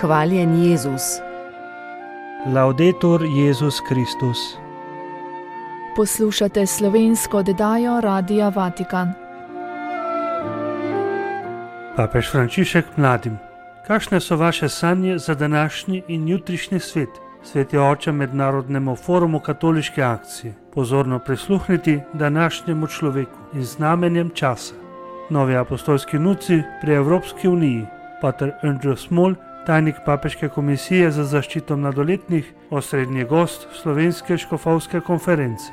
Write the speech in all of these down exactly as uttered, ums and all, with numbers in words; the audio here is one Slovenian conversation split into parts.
Hvaljen Jezus. Laudetur Jezus Kristus. Poslušate slovensko oddajo Radia Vatikan. Papež Frančišek mladim. Kakšne so vaše sanje za današnji in jutrišnji svet? Sveti oče Mednarodnemu forumu katoliške akcije. Pozorno prisluhniti današnjemu človeku in znamenjem časa. Novi apostolski nuci pri Evropski uniji. Pater Andrew Small, tajnik Papeške komisije za zaščito mladoletnih, osrednji gost Slovenske škofovske konference.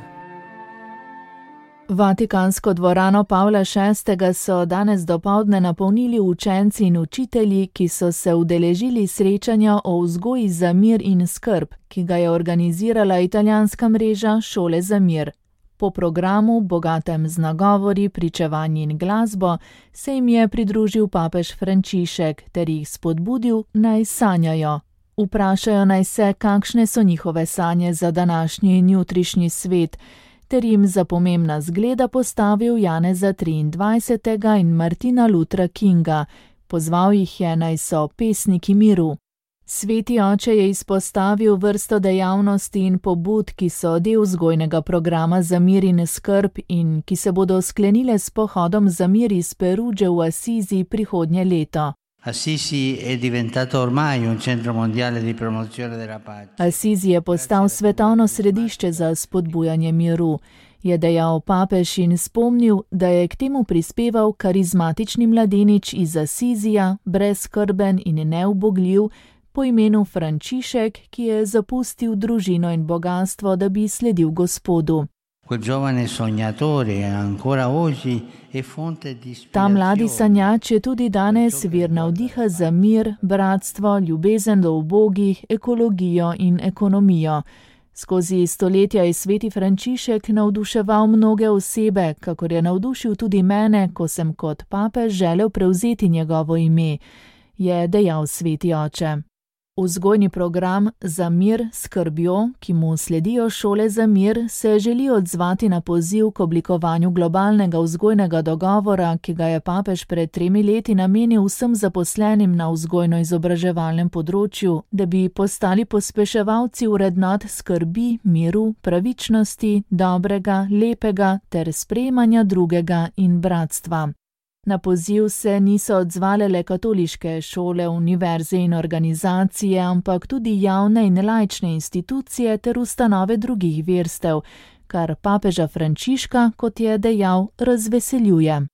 Vatikansko dvorano Pavla šestega so danes dopoldne napolnili učenci in učitelji, ki so se udeležili srečanja o vzgoji za mir in skrb, ki ga je organizirala italijanska mreža Šole za mir. Po programu, bogatem z nagovori, pričevanji in glasbo, se jim je pridružil papež Frančišek ter jih spodbudil, naj sanjajo. Vprašajo naj se, kakšne so njihove sanje za današnji in jutrišnji svet, ter jim za pomembna zgleda postavil Janeza triindvajsetega in Martina Luthera Kinga. Pozval jih je, naj so pesniki miru. Sveti oče je izpostavil vrsto dejavnosti in pobud, ki so del vzgojnega programa za mir in skrb in ki se bodo sklenile s pohodom za mir iz Perugge v Assisi prihodnje leto. Assisi è diventato ormai un centro mondiale di promozione della pace. Assisi je postal svetovno središče za spodbujanje miru, je dejal papež in spomnil, da je k temu prispeval karizmatični mladenič iz Assisija, brezskrben in neubogljiv, po imenu Frančišek, ki je zapustil družino in bogatstvo, da bi sledil Gospodu. Ta mladi sanjač je tudi danes vir navdiha za mir, bratstvo, ljubezen do ubogih, ekologijo in ekonomijo. Skozi stoletja je sveti Frančišek navduševal mnoge osebe, kakor je navdušil tudi mene, ko sem kot papež želel prevzeti njegovo ime, je dejal sveti oče. Vzgojni program za mir s skrbjo, ki mu sledijo šole za mir, se želi odzvati na poziv k oblikovanju globalnega vzgojnega dogovora, ki ga je papež pred tremi leti namenil vsem zaposlenim na vzgojno-izobraževalnem področju, da bi postali pospeševalci vrednot skrbi, miru, pravičnosti, dobrega, lepega ter sprejemanja drugega in bratstva. Na poziv se niso odzvale le katoliške šole, univerze in organizacije, ampak tudi javne in laične institucije ter ustanove drugih verstev, kar papeža Frančiška, kot je dejal, razveseljuje.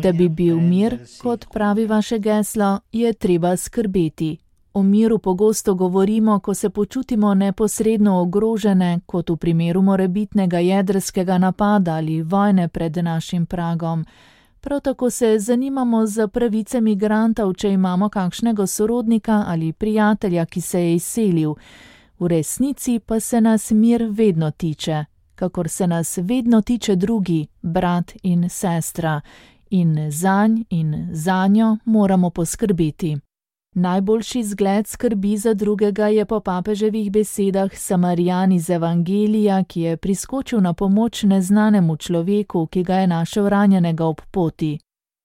Da bi bil mir, kot pravi vaše geslo, je treba skrbeti. O miru pogosto govorimo, ko se počutimo neposredno ogrožene, kot v primeru morebitnega jedrskega napada ali vojne pred našim pragom. Prav tako se zanimamo za pravice migrantov, če imamo kakšnega sorodnika ali prijatelja, ki se je izselil. V resnici pa se nas mir vedno tiče, kakor se nas vedno tiče drugi, brat in sestra. In zanj in zanjo moramo poskrbeti. Najboljši zgled skrbi za drugega je po papeževih besedah Samarijan iz Evangelija, ki je priskočil na pomoč neznanemu človeku, ki ga je našel ranjenega ob poti.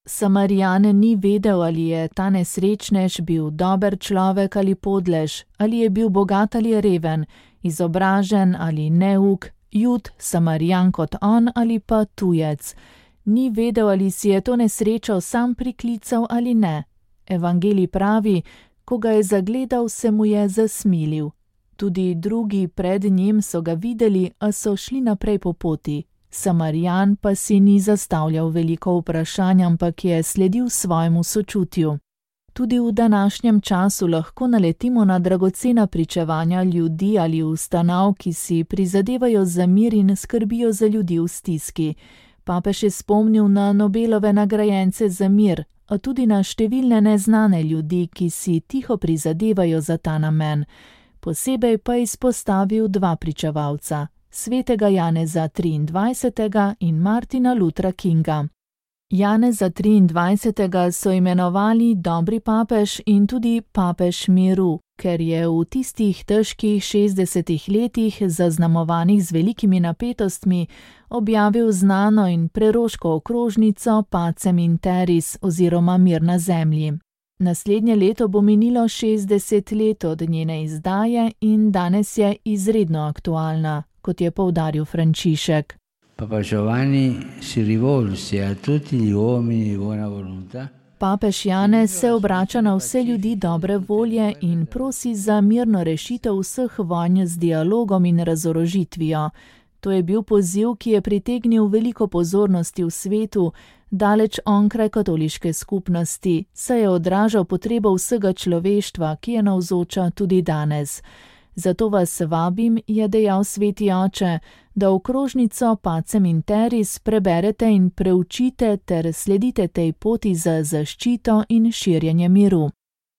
Samarijan ni vedel, ali je ta nesrečnež bil dober človek ali podlež, ali je bil bogat ali reven, izobražen ali neuk, Jud, Samarijan kot on ali pa tujec. Ni vedel, ali si je to nesrečo sam priklical ali ne. Evangelij pravi, ko ga je zagledal, se mu je zasmilil. Tudi drugi pred njim so ga videli, a so šli naprej po poti. Samarijan pa si ni zastavljal veliko vprašanj, ampak je sledil svojemu sočutju. Tudi v današnjem času lahko naletimo na dragocena pričevanja ljudi ali ustanov, ki si prizadevajo za mir in skrbijo za ljudi v stiski. Papež je spomnil na Nobelove nagrajence za mir, a tudi na številne neznane ljudi, ki si tiho prizadevajo za ta namen. Posebej pa izpostavil dva pričevalca, svetega Janeza triindvajsetega in Martina Luthera Kinga. Janeza triindvajsetega so imenovali dobri papež in tudi papež miru. Ker je v tistih težkih šestdesetih letih, zaznamovanih z velikimi napetostmi, objavil znano in preroško okrožnico Pacem in Terris oziroma Mir na zemlji. Naslednje leto bo minilo šestdeset let od njene izdaje in danes je izredno aktualna, kot je poudaril Frančišek. Papa Giovanni si rivolse a tutti gli uomini di buona volontà. Papež Janez se obrača na vse ljudi dobre volje in prosi za mirno rešitev vseh vojn z dialogom in razorožitvijo. To je bil poziv, ki je pritegnil veliko pozornosti v svetu, daleč onkraj katoliške skupnosti, saj je odražal potrebo vsega človeštva, ki je navzoča tudi danes. Zato vas vabim, je dejal sveti oče, da okrožnico Pacem in Terris preberete in preučite ter sledite tej poti za zaščito in širjenje miru.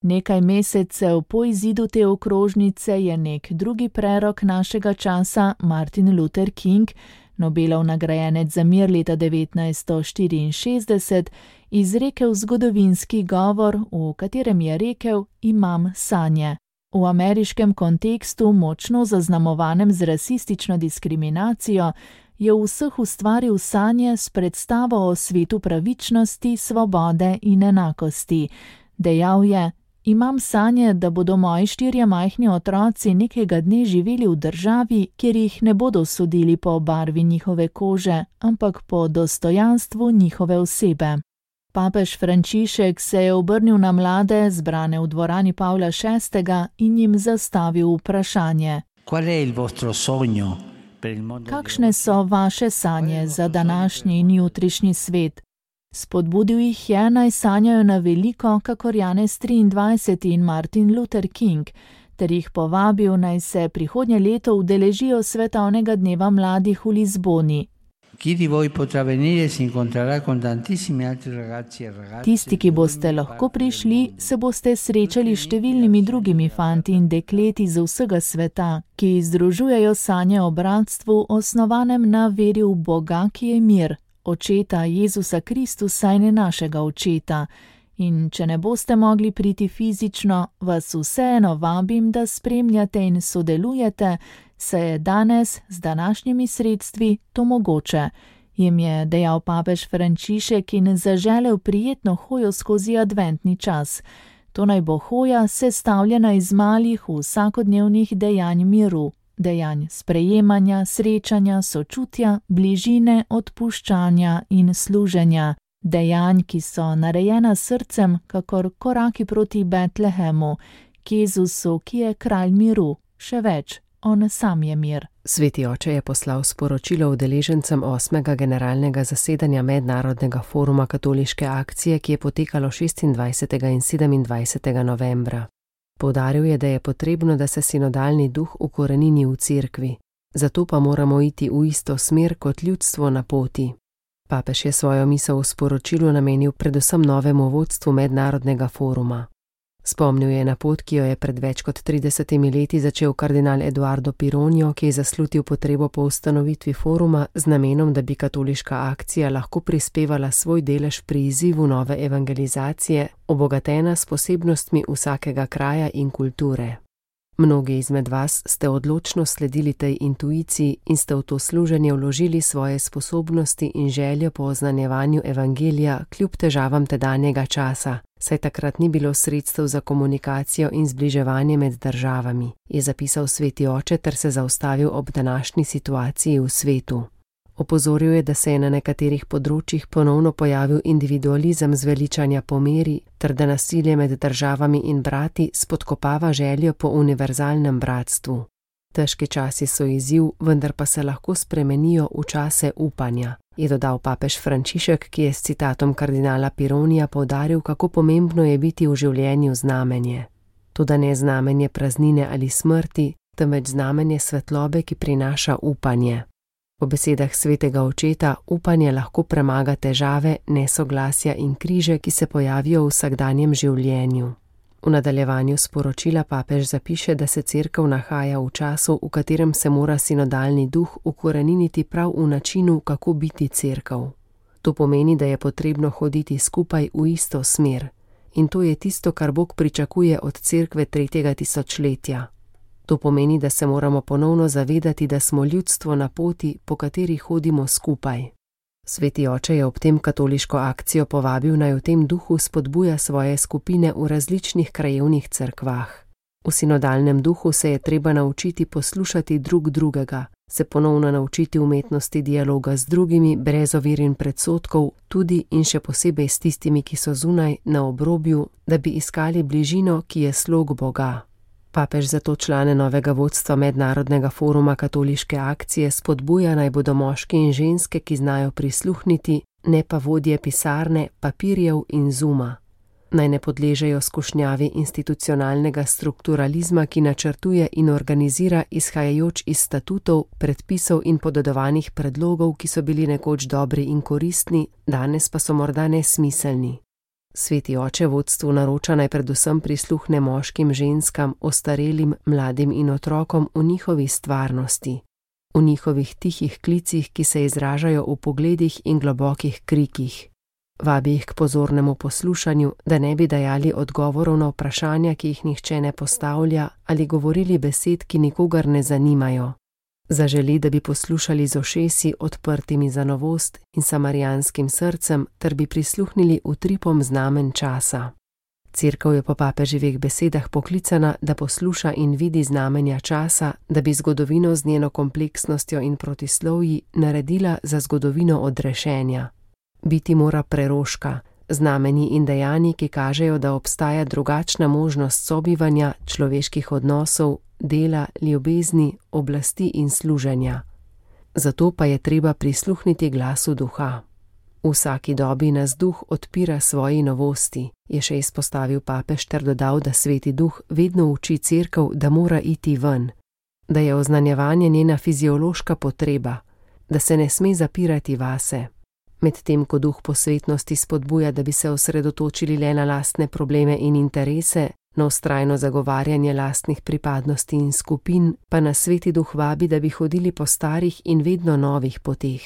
Nekaj mesecev po izidu te okrožnice je nek drugi prerok našega časa, Martin Luther King, Nobelov nagrajenec za mir leta devetnajststo štiriinšestdeset, izrekel zgodovinski govor, v katerem je rekel: imam sanje. V ameriškem kontekstu, močno zaznamovanem z rasistično diskriminacijo, je v vseh ustvaril sanje s predstavo o svetu pravičnosti, svobode in enakosti. Dejal je: imam sanje, da bodo moji štirje majhni otroci nekega dne živeli v državi, kjer jih ne bodo sodili po barvi njihove kože, ampak po dostojanstvu njihove osebe. Papež Frančišek se je obrnil na mlade, zbrane v dvorani Pavla šestega, in jim zastavil vprašanje. Kakšne so vaše sanje za današnji in jutrišnji svet? Spodbudil jih je, naj sanjajo na veliko, kakor Janez triindvajseti in Martin Luther King, ter jih povabil, naj se prihodnje leto udeležijo svetovnega dneva mladih v Lizboni. Tisti, ki boste lahko prišli, se boste srečali s številnimi drugimi fanti in dekleti z vsega sveta, ki združujejo sanje o bratstvu, osnovanem na veri v Boga, ki je mir, Očeta Jezusa Kristusa in našega Očeta. In če ne boste mogli priti fizično, vas vseeno vabim, da spremljate in sodelujete, saj je danes z današnjimi sredstvi to mogoče, jim je dejal papež Frančišek in zaželel prijetno hojo skozi adventni čas. To naj bo hoja sestavljena iz malih vsakodnevnih dejanj miru, dejanj sprejemanja, srečanja, sočutja, bližine, odpuščanja in služenja. Dejanj, ki so narejena s srcem, kakor koraki proti Betlehemu, k Jezusu, ki je kralj miru, še več, on sam je mir. Sveti oče je poslal sporočilo udeležencem osmega generalnega zasedanja Mednarodnega foruma katoliške akcije, ki je potekalo šestindvajsetega in sedemindvajsetega novembra. Poudaril je, da je potrebno, da se sinodalni duh ukorenini v cerkvi, zato pa moramo iti v isto smer kot ljudstvo na poti. Papež je svojo misel v sporočilu namenil predvsem novemu vodstvu Mednarodnega foruma. Spomnil je na pot, ki jo je pred več kot tridesetimi leti začel kardinal Eduardo Pironio, ki je zaslutil potrebo po ustanovitvi foruma z namenom, da bi katoliška akcija lahko prispevala svoj delež pri izzivu nove evangelizacije, obogatena s posebnostmi vsakega kraja in kulture. Mnogi izmed vas ste odločno sledili tej intuiciji in ste v to služenje vložili svoje sposobnosti in željo po oznanjevanju evangelija kljub težavam tedanjega časa, saj takrat ni bilo sredstev za komunikacijo in zbliževanje med državami, je zapisal sveti oče ter se zaustavil ob današnji situaciji v svetu. Opozoril je, da se je na nekaterih področjih ponovno pojavil individualizem zveličanja po meri, ter da nasilje med državami in brati spodkopava željo po univerzalnem bratstvu. Težki časi so izziv, vendar pa se lahko spremenijo v čase upanja, je dodal papež Frančišek, ki je s citatom kardinala Pironija poudaril, kako pomembno je biti v življenju znamenje. Toda ne znamenje praznine ali smrti, temveč znamenje svetlobe, ki prinaša upanje. Po besedah svetega očeta, upanje lahko premaga težave, nesoglasja in križe, ki se pojavijo v vsakdanjem življenju. V nadaljevanju sporočila papež zapiše, da se cerkev nahaja v času, v katerem se mora sinodalni duh ukoreniniti prav v načinu, kako biti cerkev. To pomeni, da je potrebno hoditi skupaj v isto smer. in to je tisto, kar Bog pričakuje od cerkve tretjega tisočletja. To pomeni, da se moramo ponovno zavedati, da smo ljudstvo na poti, po kateri hodimo skupaj. Sveti oče je ob tem katoliško akcijo povabil, naj v tem duhu spodbuja svoje skupine v različnih krajevnih cerkvah. V sinodalnem duhu se je treba naučiti poslušati drug drugega, se ponovno naučiti umetnosti dialoga z drugimi, brez ovir in predsodkov, tudi in še posebej s tistimi, ki so zunaj, na obrobju, da bi iskali bližino, ki je slog Boga. Papež zato člane novega vodstva Mednarodnega foruma katoliške akcije spodbuja, naj bodo moški in ženske, ki znajo prisluhniti, ne pa vodje pisarne, papirjev in zuma. Naj ne podležejo skušnjavi institucionalnega strukturalizma, ki načrtuje in organizira izhajajoč iz statutov, predpisov in podedovanih predlogov, ki so bili nekoč dobri in koristni, danes pa so morda nesmiselni. Sveti oče vodstvu naroča, naj predvsem prisluhne moškim, ženskam, ostarelim, mladim in otrokom v njihovi stvarnosti, v njihovih tihih klicih, ki se izražajo v pogledih in globokih krikih. Vabi jih k pozornemu poslušanju, da ne bi dajali odgovorov na vprašanja, ki jih nihče ne postavlja, ali govorili besed, ki nikogar ne zanimajo. Zaželi, da bi poslušali z ušesi odprtimi za novost in samarijanskim srcem, ter bi prisluhnili utripom znamen časa. Cerkev je po papeževih besedah poklicana, da posluša in vidi znamenja časa, da bi zgodovino z njeno kompleksnostjo in protislovji naredila za zgodovino odrešenja. Biti mora preroška, znamenji in dejanji, ki kažejo, da obstaja drugačna možnost sobivanja, človeških odnosov, dela, ljubezni, oblasti in služenja. Zato pa je treba prisluhniti glasu duha. V vsaki dobi nas duh odpira svoji novosti, je še izpostavil papež ter dodal, da sveti duh vedno uči cerkev, da mora iti ven, da je oznanjevanje njena fiziološka potreba, da se ne sme zapirati vase. Medtem ko duh posvetnosti spodbuja, da bi se osredotočili le na lastne probleme in interese, na vztrajno zagovarjanje lastnih pripadnosti in skupin, pa nas sveti duh vabi, da bi hodili po starih in vedno novih poteh.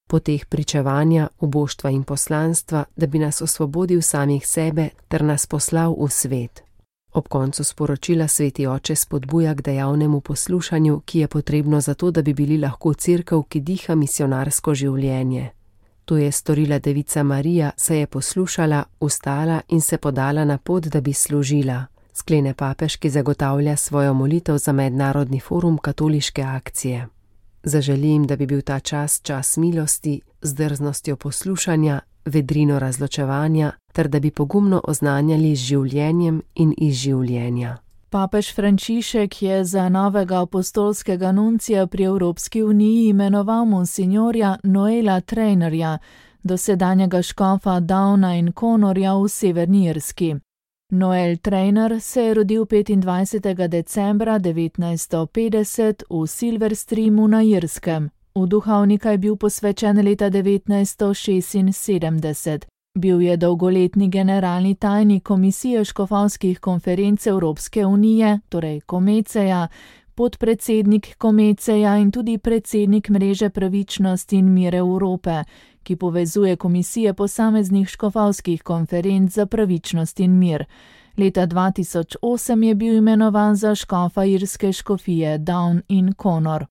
Poteh pričevanja, uboštva in poslanstva, da bi nas osvobodil samih sebe ter nas poslal v svet. Ob koncu sporočila sveti oče spodbuja k dejavnemu poslušanju, ki je potrebno zato, da bi bili lahko cerkev, ki diha misionarsko življenje. To je storila devica Marija, se je poslušala, vstala in se podala na pot, da bi služila, sklene papež, ki zagotavlja svojo molitev za Mednarodni forum katoliške akcije. Zaželim, da bi bil ta čas čas milosti, z drznostjo poslušanja, vedrino razločevanja, ter da bi pogumno oznanjali z življenjem in iz življenja. Papež Frančišek je za novega apostolskega nuncija pri Evropski uniji imenoval monsinjorja Noela Trainerja, dosedanjega škofa Downa in Connorja v Severni Irski. Noel Trainer se je rodil petindvajsetega decembra devetnajststo petdeset v Silverstreamu na Irskem. V duhovnika je bil posvečen leta devetnajststo šestinsedemdeset. Bil je dolgoletni generalni tajnik Komisije škofovskih konferenc Evropske unije, torej Komeceja, podpredsednik Komeceja in tudi predsednik mreže Pravičnost in mir Evrope, ki povezuje komisije posameznih škofovskih konferenc za pravičnost in mir. Leta dva tisoč osem je bil imenovan za škofa irske škofije Down in Connor.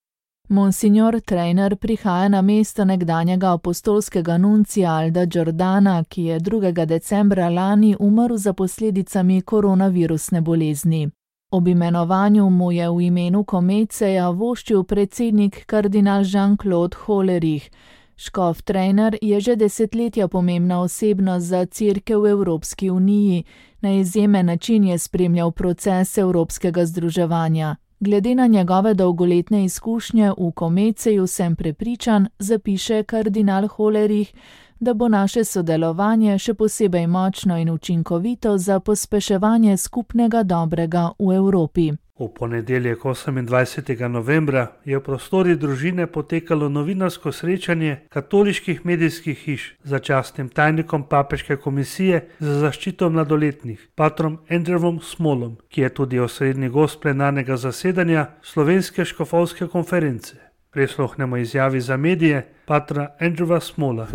Monsignor Trainer prihaja na mesto nekdanjega apostolskega nuncija Alda Giordana, ki je drugega decembra lani umrl za posledicami koronavirusne bolezni. Ob imenovanju mu je v imenu Komeceja voščil predsednik kardinal Jean-Claude Hollerich. Škof Trainer je že desetletja pomembna osebnost za cerkev v Evropski uniji. Na izjemen način je spremljal proces evropskega združevanja. Glede na njegove dolgoletne izkušnje v Komeceju sem prepričan, zapiše kardinal Hollerich, da bo naše sodelovanje še posebej močno in učinkovito za pospeševanje skupnega dobrega v Evropi. V ponedeljek osemindvajsetega novembra je v prostori družine potekalo novinarsko srečanje katoliških medijskih hiš z častnim tajnikom Papeške komisije za zaščito mladoletnih, patrom Andrewom Smolom, ki je tudi osrednji gost plenarnega zasedanja Slovenske škofovske konference. Prisluhnemo izjavi za medije patra Andrewa Smola.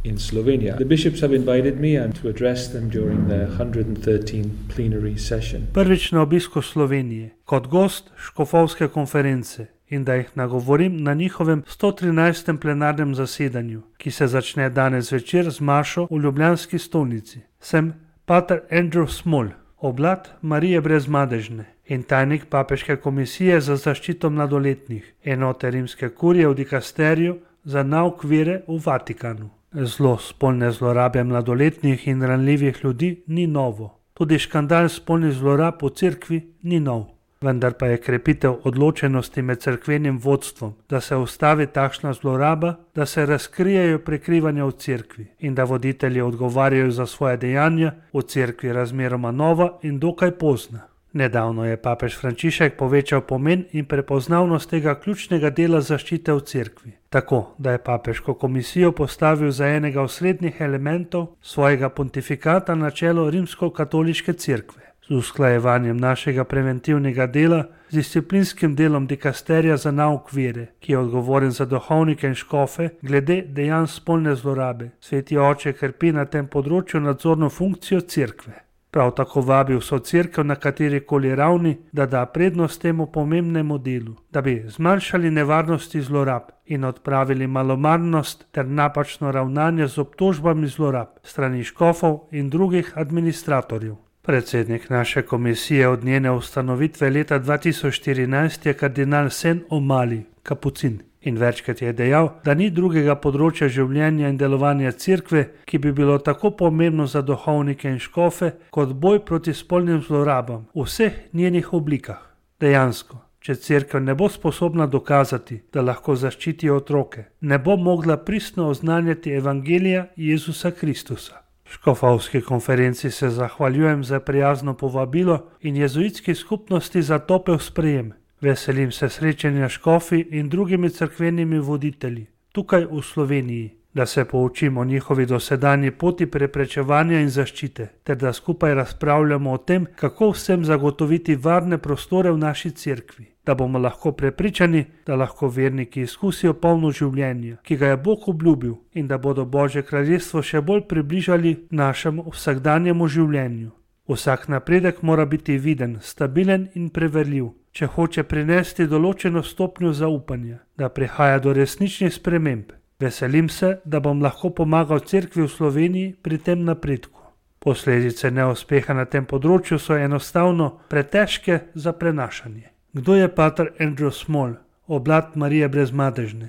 in Slovenia. The bishops have invited me and to address them during the one hundred thirteenth plenary session. Prvič na obisku Slovenije kot gost škofovske konference in da jih nagovorim na njihovem sto trinajstem plenarnem zasedanju, ki se začne danes večer z mašo v ljubljanski stolnici. Sem pater Andrew Small, oblat Marije Brezmadežne in tajnik Papeške komisije za zaščito mladoletnih, enote rimske kurije v dikasteriju za nauk vere v Vatikanu. Zlo spolne zlorabe mladoletnih in ranljivih ljudi ni novo. Tudi škandal spolnih zlorab v cerkvi ni nov. Vendar pa je krepitev odločenosti med cerkvenim vodstvom, da se ustavi takšna zloraba, da se razkrijejo prekrivanja v cerkvi in da voditelji odgovarjajo za svoje dejanja, v cerkvi razmeroma nova in dokaj pozna. Nedavno je papež Frančišek povečal pomen in prepoznavnost tega ključnega dela zaščite v cerkvi, tako da je papeško komisijo postavil za enega osrednjih elementov svojega pontifikata na čelo rimsko-katoliške cerkve. Z usklajevanjem našega preventivnega dela z disciplinskim delom dikasterija za nauk vere, ki je odgovoren za duhovnike in škofe glede dejanj spolne zlorabe. Sveti oče krpi na tem področju nadzorno funkcijo cerkve. Prav tako vabi vso cerkev na katerikoli ravni, da da prednost temu pomembnemu delu, da bi zmanjšali nevarnosti zlorab in odpravili malomarnost ter napačno ravnanje z obtožbami zlorab strani škofov in drugih administratorjev. Predsednik naše komisije od njene ustanovitve leta dva tisoč štirinajst je kardinal Sen O'Malley, kapucin, in večkrat je dejal, da ni drugega področja življenja in delovanja cerkve, ki bi bilo tako pomembno za duhovnike in škofe, kot boj proti spolnim zlorabam v vseh njenih oblikah. Dejansko, če cerkev ne bo sposobna dokazati, da lahko zaščiti otroke, ne bo mogla pristno oznanjati evangelija Jezusa Kristusa. Škofovski konferenci se zahvaljujem za prijazno povabilo in jezuitski skupnosti za topel sprejem. Veselim se srečanja škofi in drugimi cerkvenimi voditelji tukaj v Sloveniji, da se poučimo o njihovi dosedanji poti preprečevanja in zaščite, ter da skupaj razpravljamo o tem, kako vsem zagotoviti varne prostore v naši cerkvi, da bomo lahko prepričani, da lahko verniki izkusijo polno življenje, ki ga je Bog obljubil, in da bodo Božje kraljestvo še bolj približali našemu vsakdanjemu življenju. Vsak napredek mora biti viden, stabilen in preverljiv, če hoče prinesti določeno stopnjo zaupanja, da prihaja do resničnih sprememb. Veselim se, da bom lahko pomagal cerkvi v Sloveniji pri tem napredku. Posledice neuspeha na tem področju so enostavno pretežke za prenašanje. Kdo je pater Andrew Small, oblat Marije Brezmadežne?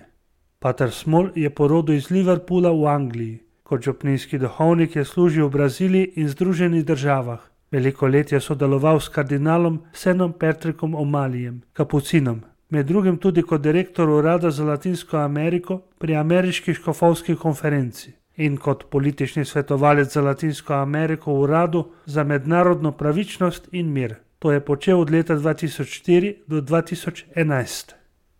Pater Small je po rodu iz Liverpoola v Angliji. Kot župnijski duhovnik je služil v Braziliji in Združenih državah. Veliko let je sodeloval s kardinalom Senom Patrickom O'Malleyjem, kapucinom, med drugim tudi kot direktor urada za Latinsko Ameriko pri Ameriški škofovski konferenci in kot politični svetovalec za Latinsko Ameriko v uradu za mednarodno pravičnost in mir. To je počel od leta dva tisoč štiri do dva tisoč enajst.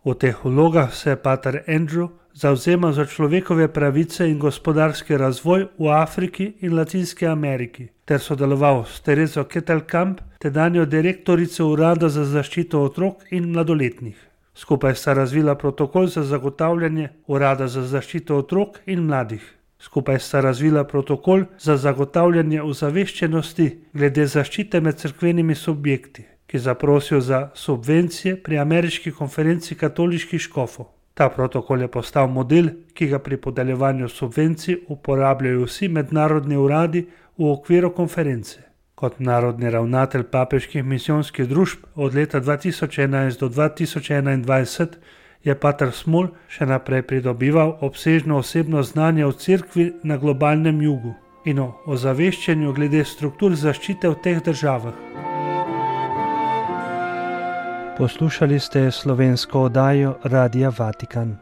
V teh vlogah se je pater Andrew zavzemal za človekove pravice in gospodarski razvoj v Afriki in Latinski Ameriki, ter sodeloval s Terezo Ketelkamp, tedanjo direktorico urada za zaščito otrok in mladoletnih. Skupaj sta razvila protokol za zagotavljanje urada za zaščito otrok in mladih. Skupaj sta razvila protokol za zagotavljanje ozaveščenosti glede zaščite med cerkvenimi subjekti, ki zaprosijo za subvencije pri Ameriški konferenci katoliških škofov. Ta protokol je postal model, ki ga pri podeljevanju subvencij uporabljajo vsi mednarodni uradi v okviru konference. Kot narodni ravnatelj papeških misijonskih družb od leta dva tisoč enajst do dva tisoč enaindvajset je pater Small še naprej pridobival obsežno osebno znanje o cerkvi na globalnem jugu in o ozaveščanju glede struktur zaščite v teh državah. Poslušali ste slovensko oddajo Radia Vatikan.